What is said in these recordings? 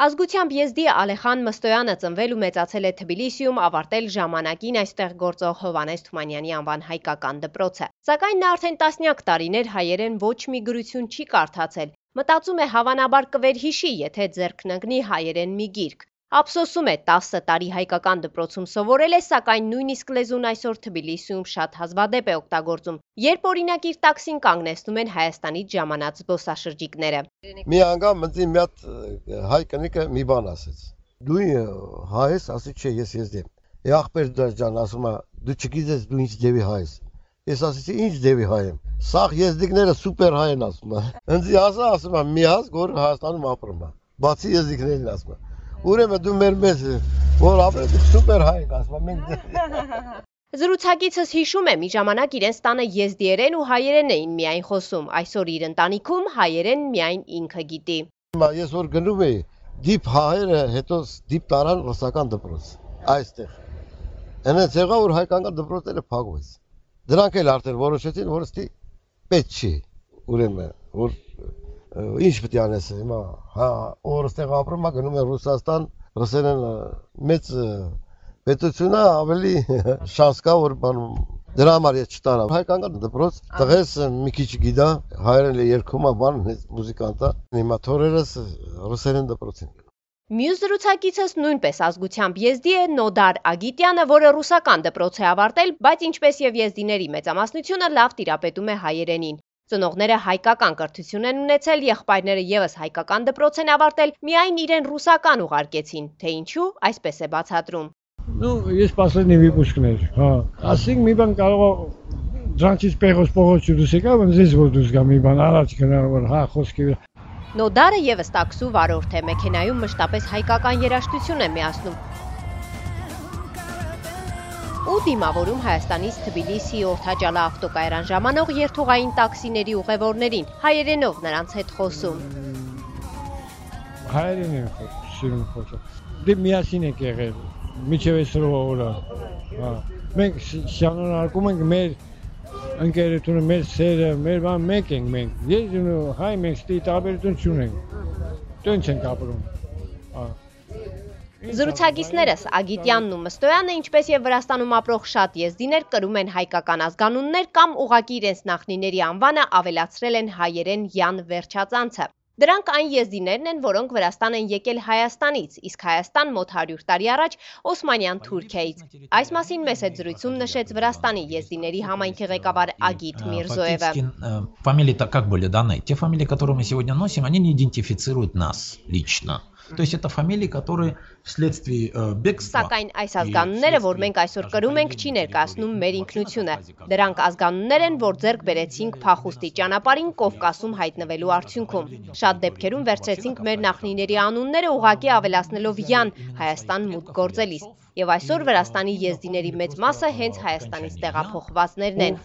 Ազգությամբ եզդի Ալեխան Մստոյանը ծնվել ու մեծացել է Թբիլիսիում, ավարտել ժամանակին այստեղ գործող Հովհաննես Թումանյանի անվան հայկական դպրոցը։ Սակայն նա արդեն տասնյակ տարիներ հայերեն ոչ մի գրություն չի կարդացել։ Մտածում է հավանաբար կվերհիշի, եթե ձեռքն ընկնի հայերեն մի գիրք։ Ափսոսում է 10 տարի հայկական դպրոցում սովորել է, սակայն նույնիսկ լեզուն այսօր Թբիլիսիում շատ հազվադեպ է օգտագործում, երբ օրինակ իր տաքսին կանգնեցնում են Հայաստանից ժամանած զբոսաշրջիկները։ Մի անգամ մտի մի հատ հայ կնիկը մի բան ասեց։ Դու հայ ես, ասի չէ, ես եզդի եմ։ Ախպեր ջան, ասում է, դու չգիտես դու ինչ դեպի հայ ես։ Ես ասեցի ինչ դեպի հայ եմ։ Սաղ եզդիկները սուպեր հայ են ասում է։ Ինձ ասում է մի ազգ, որ Հայաստանում ապրում է։ Բացի եզդիկներին ասում է։ Ուրեմն դու մեր մեծ որ ապրես սուպեր հայ ես ասում եմ։ Զրուցակիցս հիշում է, մի ժամանակ իրենց տանը եզդիերեն ու հայերեն էին միայն խոսում, այսօր իր ընտանիքում հայերեն միայն ինքը գիտի։ Ես որ գնում էի, դիպ հայերը հետո դիպ տարան ռուսական դպրոց, այստեղ։ Հենց եղավ, որ հայկական դպրոցները փակվեց։ Դրանք էլ արդեն որոշեցին, որ ստի պետք չի, ուրեմն, որ ինչ պետք է անես, հիմա, որ ստեղ ապրում է, գնում է Ռուսաստան, ռուսերեն մեծ պետությունը ավելի շանս կա, որ բանում դրա համար ես չտարա։ Հայկական դպրոց տղես մի քիչ գիտա, հայերեն երգում է բան, մուզիկանտ է, հիմա թորերս ռուսերեն դպրոց են։ Մյուս զրուցակիցս նույնպես ազգությամբ եզդի է Նոդար Ագիտյանը, որը ռուսական դպրոց է ավարտել, բայց ինչպես եւ եզդիների մեծամասնությունը լավ տիրապետում է հայերենին։ Ծնողները հայկական կրթություն են ունեցել, եղբայրները եւս հայկական դպրոց են ավարտել, միայն իրեն ռուսական ուղարկեցին, թե ինչու, այսպես է բացատրում։ Есть последний выпускներ, ասենք մի բան կարող է դրանից պեղոս փողոց դուսեկա, բայց ես որ դուս գա մի բան առաջ գնալ, որ խոսքի Նոդարը եւս տաքսու վարորդ է, մեքենայում մշտապես հայկական երաժշտություն է միացնում։ Ու դիմավորում Հայաստանից Թբիլիսի Օրթաջալա ավտոկայարան ժամանող երթուղային տաքսիների ուղևորներին, հայերենով նրանց հետ խոսում։ Հայերեն են խոսում։ Դե միասին եք եղել, միջև այսօր օրը։ Մենք շարունակում ենք մեր ընկերությունը, մեր սերը, մեր բան մեկ ենք մենք։ Ես ու հայ մենք ստի տարբերություն չունենք։ Տենց ենք ապրում։ Զրուցակիցներս Ագիտյանն ու Մստոյանը, ինչպես եւ Վրաստանում ապրող շատ եզդիներ, կրում են հայկական ազգանուններ կամ ուղղակի իրենց նախնիների անվանը ավելացրել են հայերեն յան վերջածանցը։ Դրանք այն եզդիներն են, որոնք Վրաստան են եկել Հայաստանից, իսկ Հայաստան մոտ 100 տարի առաջ Օսմանյան Թուրքիայից։ Այս մասին մեծ զրույցում նշեց Վրաստանի եզդիների համայնքի ղեկավար Ագիտ Միրզոևը։ Фамилии-то как были даны? Те фамилии, которые мы сегодня носим, они не идентифицируют нас лично. То есть это фамилии, которые вследствие бегства. Սակայն այս ազգանունները, որ մենք այսօր կրում ենք, չի ներկայացնում մեր ինքնությունը։ Դրանք ազգանուններ են, որ ձեռք բերեցինք փախուստի ճանապարհին Կովկասում հայտնվելու արդյունքում։ Շատ դեպքերում վերցրեցինք մեր նախնիների անունները ուղղակի ավելացնելով յան Հայաստան մուտք գործելիս։ Եվ այսօր Վրաստանի եզդիների մեծ մասը հենց Հայաստանից տեղափոխվածներն են։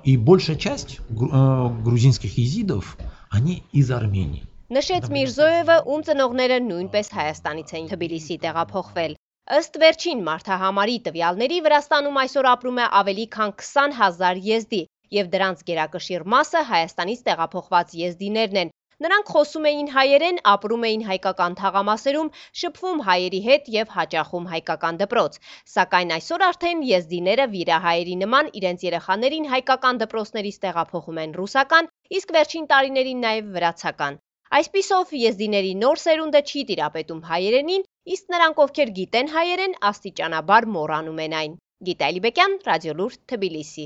И большая часть грузинских езидов, они из Армении. Նշեց Միրզոևը, ում ծնողները նույնպես Հայաստանից էին Թբիլիսի տեղափոխվել։ Ըստ վերջին մարդահամարի տվյալների Վրաստանում այսօր ապրում է ավելի քան 20,000 եզդի, եւ դրանց գերակշիռ մասը Հայաստանից տեղափոխված եզդիներն են։ Նրանք խոսում էին հայերեն, ապրում էին հայկական թաղամասերում, շփվում հայերի հետ եւ հաճախում հայկական դպրոց։ Սակայն այսօր արդեն եզդիները վիրահայերի նման իրենց երեխաներին հայկական դպրոցներից տեղափոխում են ռուսական, իսկ վերջին տարիներին նաեւ վրացական։ Այսպիսով եզդիների նոր սերունդը չի տիրապետում հայերենին, իսկ նրանք, ովքեր գիտեն հայերեն, աստիճանաբար մոռանում են այն։ Գիտալի Բեկյան, Ռադիոլուր, Թբիլիսի։